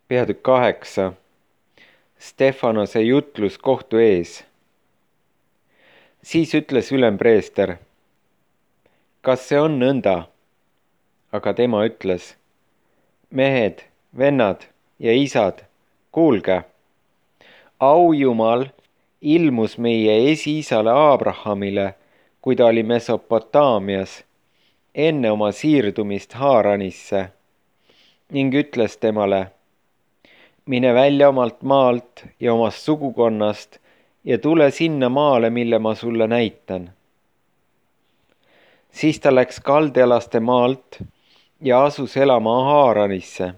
Peatükk 8. Stefanose jutlus kohtu ees. Siis ütles ülempreester, kas see on nõnda? Aga tema ütles, mehed, vennad ja isad, kuulge, aujumal ilmus meie esiisale Abrahamile, kui ta oli Mesopotaamias, enne oma siirdumist Haaranisse, ning ütles temale, mine välja omalt maalt ja omast sugukonnast ja tule sinna maale, mille ma sulle näitan. Siis ta läks kaldealaste maalt ja asus elama Haaranisse.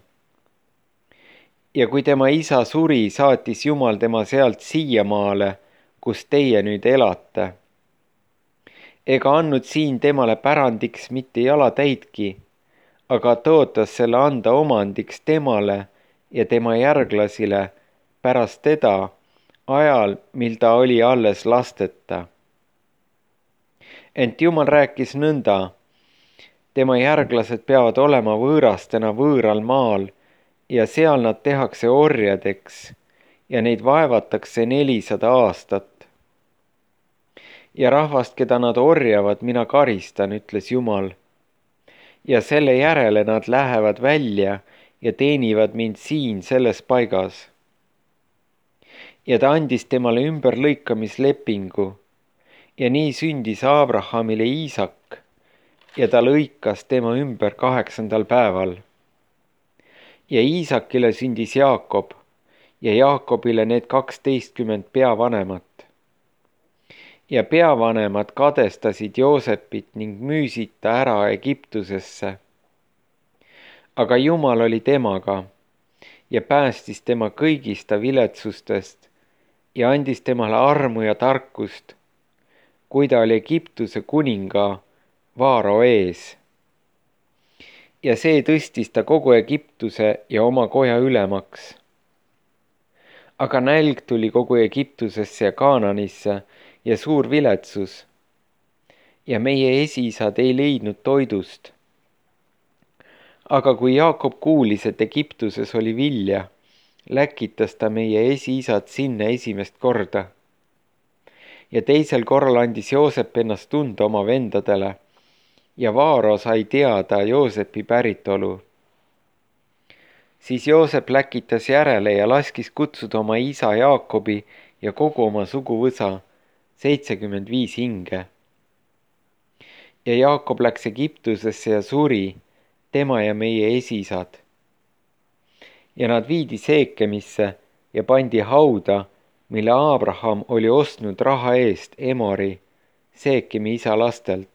Ja kui tema isa suri, saatis Jumal tema sealt siiamaale, kus teie nüüd elate. Ega andnud siin temale pärandiks mitte jalatäidki, aga tõotas selle anda omandiks temale ja tema järglasile pärast teda, ajal, mil ta oli alles lasteta. Ent Jumal rääkis nõnda, tema järglased peavad olema võõrastena võõral maal ja seal nad tehakse orjadeks ja neid vaevatakse 400 aastat. Ja rahvast, keda nad orjavad, mina karistan, ütles Jumal. Ja selle järele nad lähevad välja ja teenivad mind siin selles paigas. Ja ta andis temale ümberlõikamislepingu ja nii sündis Abrahamile Iisak ja ta lõikas tema ümber 8. päeval. Ja Iisakile sündis Jaakob ja Jaakobile need 12 peavanemat. Ja peavanemad kadestasid Joosepit ning müüsid ta ära Egiptusesse. Aga Jumal oli temaga ja päästis tema kõigist ta viletsustest ja andis temale armu ja tarkust, kui ta oli Egiptuse kuninga Vaaro ees. Ja see tõstis ta kogu Egiptuse ja oma koja ülemaks. Aga nälg tuli kogu Egiptusesse ja Kaananisse ja suur viletsus. Ja meie esiisad ei leidnud toidust. Aga kui Jaakob kuulis, et Egiptuses oli vilja, läkitas ta meie esiisad sinna esimest korda. Ja teisel korral andis Joosep ennast tunda oma vendadele ja Vaaro sai teada Joosepi päritolu. Siis Joosep läkitas järele ja laskis kutsuda oma isa Jaakobi ja kogu oma suguvõsa, 75 hinge. Ja Jaakob läks Egiptusesse ja suri, tema ja meie esiisad. Ja nad viidi Seekemisse ja pandi hauda, mille Abraham oli ostnud raha eest Emori, Seekemi isa lastelt.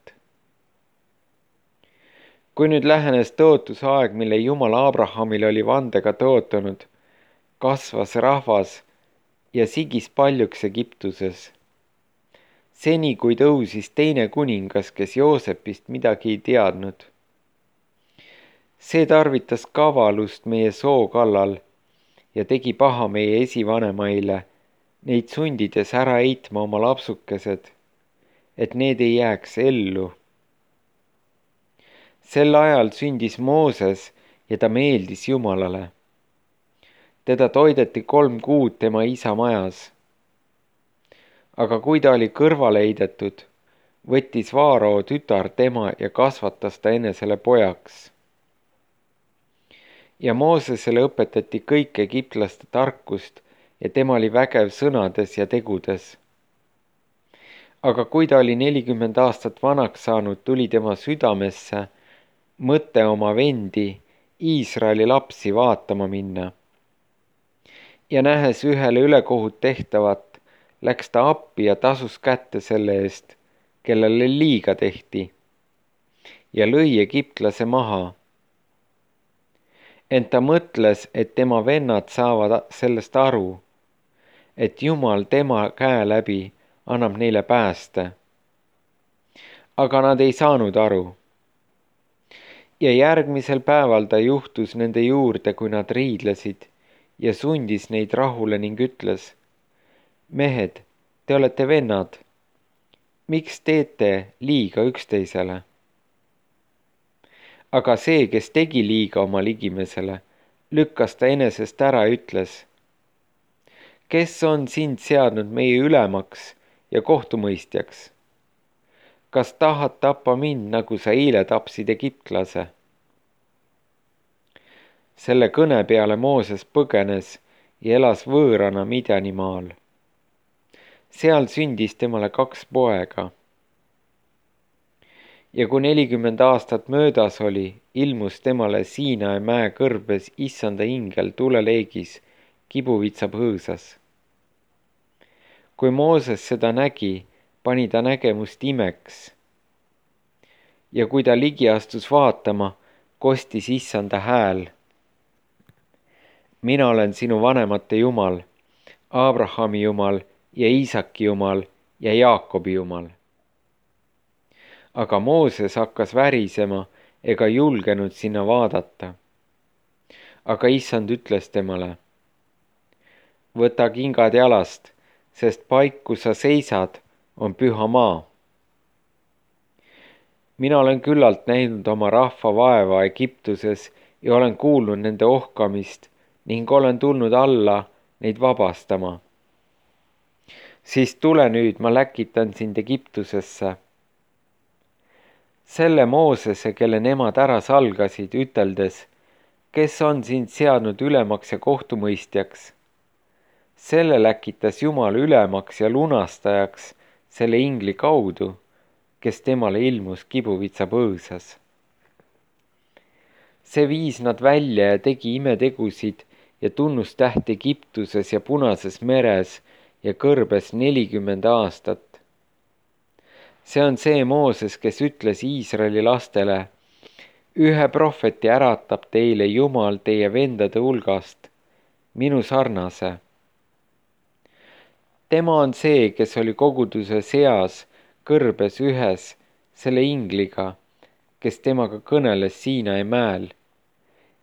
Kui nüüd lähenes tõotuse aeg, mille Jumal Abrahamile oli vandega tõotanud, kasvas rahvas ja sigis paljuks Egiptuses. Seni kui tõusis teine kuningas, kes Joosepist midagi ei teadnud. See tarvitas kavalust meie soo kallal ja tegi paha meie esivanemaile, neid sundides ära heitma oma lapsukesed, et need ei jääks ellu. Sel ajal sündis Mooses ja ta meeldis Jumalale. Teda toideti 3 kuud tema isa majas. Aga kui ta oli kõrvale heidetud, võttis Vaaro tütar tema ja kasvatas ta enesele pojaks. Ja Moosesele õpetati kõik egiptlaste tarkust ja tema oli vägev sõnades ja tegudes. Aga kui ta oli 40 aastat vanaks saanud, tuli tema südamesse mõte oma vendi, Iisraeli lapsi vaatama minna. Ja nähes ühele ülekohut tehtavat, läks ta appi ja tasus kätte selle eest, kellele liiga tehti, ja lõi egiptlase maha. Ent ta mõtles, et tema vennad saavad sellest aru, et Jumal tema käe läbi annab neile pääste. Aga nad ei saanud aru. Ja järgmisel päeval ta juhtus nende juurde, kui nad riidlesid, ja sundis neid rahule ning ütles, mehed, te olete vennad, miks teete liiga üksteisele? Aga see, kes tegi liiga oma ligimesele, lükkas ta enesest ära ja ütles: kes on sind seadnud meie ülemaks ja kohtumõistjaks? Kas tahad tappa mind, nagu sa eile tapsid egiptlase? Selle kõne peale Mooses põgenes ja elas võõrana Midjanimaal. Seal sündis temale 2 poega. Ja kui 40 aastat möödas oli, ilmus temale Siinai mäe kõrbes issanda ingel tuleleegis kibuvitsa põõsas. Kui Mooses seda nägi, pani ta nägemust imeks. Ja kui ta ligi astus vaatama, kostis issanda hääl: mina olen sinu vanemate Jumal, Abrahami Jumal ja Iisaki Jumal ja Jaakobi Jumal. Aga Mooses hakkas värisema ega julgenud sinna vaadata. Aga issand ütles temale: võta kingad jalast, sest paik, kus sa seisad, on püha maa. Mina olen küllalt näinud oma rahva vaeva Egiptuses ja olen kuulnud nende ohkamist ning olen tulnud alla neid vabastama. Siis tule nüüd, ma läkitan sind Egiptusesse. Selle Moosese, kelle nemad ära salgasid, üteldes: kes on sind seadnud ülemaks ja kohtumõistjaks? Selle läkitas Jumal ülemaks ja lunastajaks selle ingli kaudu, kes temale ilmus kibuvitsa põõsas. See viis nad välja ja tegi imetegusid ja tunnustähti Egiptuses ja Punases meres ja kõrbes 40 aastat. See on see Mooses, kes ütles Iisraeli lastele: ühe prohveti äratab teile Jumal teie vendade hulgast, minu sarnase. Tema on see, kes oli koguduse seas kõrbes ühes selle ingliga, kes temaga kõneles Siinai mäel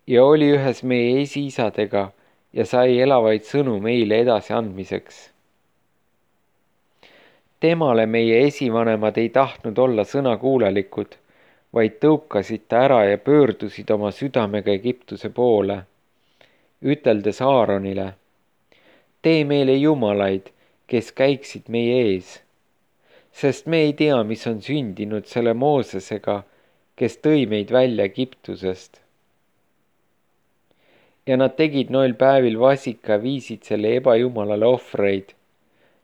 ja oli ühes meie esiisadega ja sai elavaid sõnu meile edasiandmiseks. Temale meie esivanemad ei tahtnud olla sõnakuulelikud, vaid tõukasid ta ära ja pöördusid oma südamega Egiptuse poole, üteldes Aaronile: tee meile jumalaid, kes käiksid meie ees, sest me ei tea, mis on sündinud selle Moosesega, kes tõi meid välja Egiptusest. Ja nad tegid noil päevil vasika, viisid selle ebajumalale ohvreid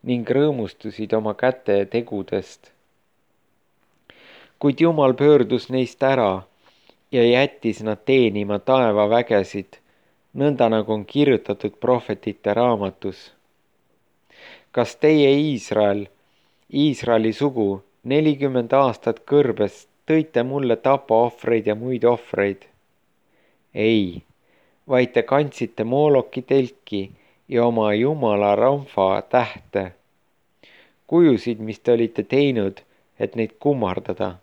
ning rõõmustusid oma käte tegudest. Kuid Jumal pöördus neist ära ja jättis nad teenima taevavägesid, nõnda nagu on kirjutatud prohvetite raamatus. Kas teie Iisrael, Iisraeli sugu, 40 aastat kõrbes tõite mulle tapaohvreid ja muid ohvreid? Ei, vaid te kandsite Mooloki telki ja oma jumala Ramfa tähte, kujusid, mis te olite teinud, et neid kummardada.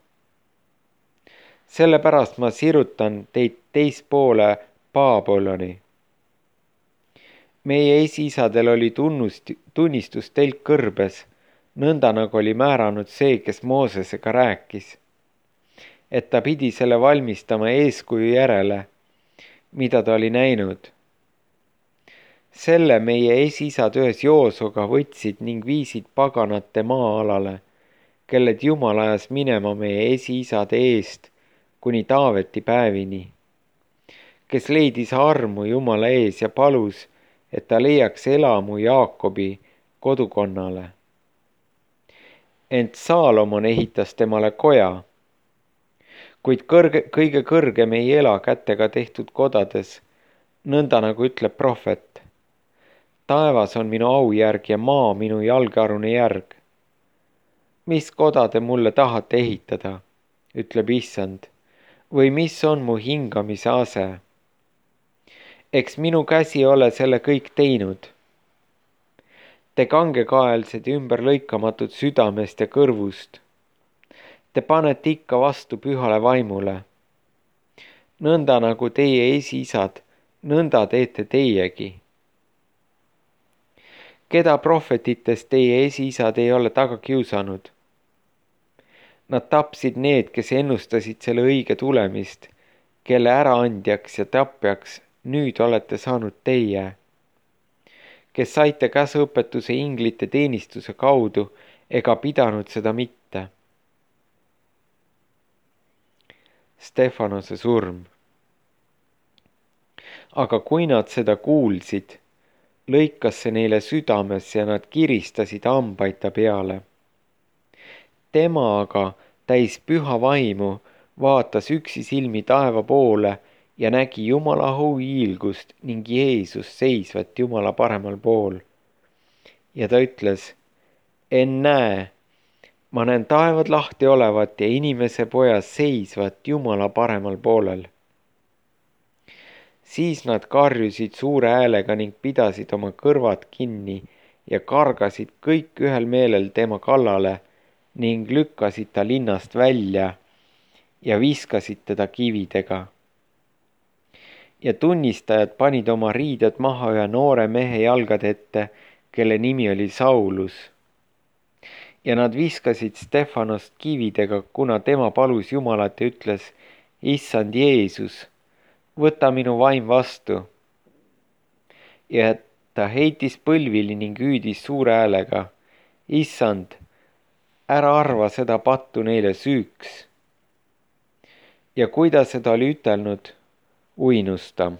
Sellepärast ma sirutan teid teispoole Babyloni. Meie esiisadel oli tunnistus telk kõrbes, nõnda nagu oli määranud see, kes Moosesega rääkis, et ta pidi selle valmistama eeskuju järele, mida ta oli näinud. Selle meie esiisad ühes Joosoga võtsid ning viisid paganate maa-alale, kelled Jumal ajas minema meie esiisade eest kuni Taaveti päevini, kes leidis armu Jumala ees ja palus, et ta leiaks elamu Jaakobi kodukonnale. Ent Saalomon ehitas temale koja, kuid kõige kõrgem ei ela kätega tehtud kodades, nõnda nagu ütleb prohvet: taevas on minu aujärg ja maa minu jalgealune järg. Mis koda te mulle tahate ehitada, ütleb issand, või mis on mu hingamise ase? Eks minu käsi ole selle kõik teinud. Te kangekaelsed ja ümberlõikamatud südamest ja kõrvust. Te panete ikka vastu pühale vaimule. Nõnda nagu teie esiisad, nõnda teete teiegi. Keda prohvetitest teie esiisad ei ole taga kiusanud? Nad tapsid need, kes ennustasid selle õige tulemist, kelle äraandjaks ja tapjaks nüüd olete saanud teie, kes saite käsuõpetuse inglite teenistuse kaudu ega pidanud seda mitte. Stefanose surm. Aga kui nad seda kuulsid, lõikas see neile südames ja nad kiristasid hambaid ta peale. Tema aga, täis püha vaimu, vaatas üksisilmi taeva poole ja nägi Jumala hiilgust ning Jeesust seisvat Jumala paremal pool. Ja ta ütles, ennäe, ma näen taevad lahti olevat ja inimese poja seisvat Jumala paremal poolel. Siis nad karjusid suure häälega ning pidasid oma kõrvad kinni ja kargasid kõik ühel meelel tema kallale ning lükkasid ta linnast välja ja viskasid teda kividega. Ja tunnistajad panid oma riided maha ühe noore mehe jalgade ette, kelle nimi oli Saulus. Ja nad viskasid Stefanost kividega, kuna tema palus Jumalat ja ütles, issand Jeesus, võta minu vaim vastu. Ja ta heitis põlvili ning hüüdis suure häälega, issand, ära arva seda pattu neile süüks. Ja kui ta seda oli ütelnud, uinus ta.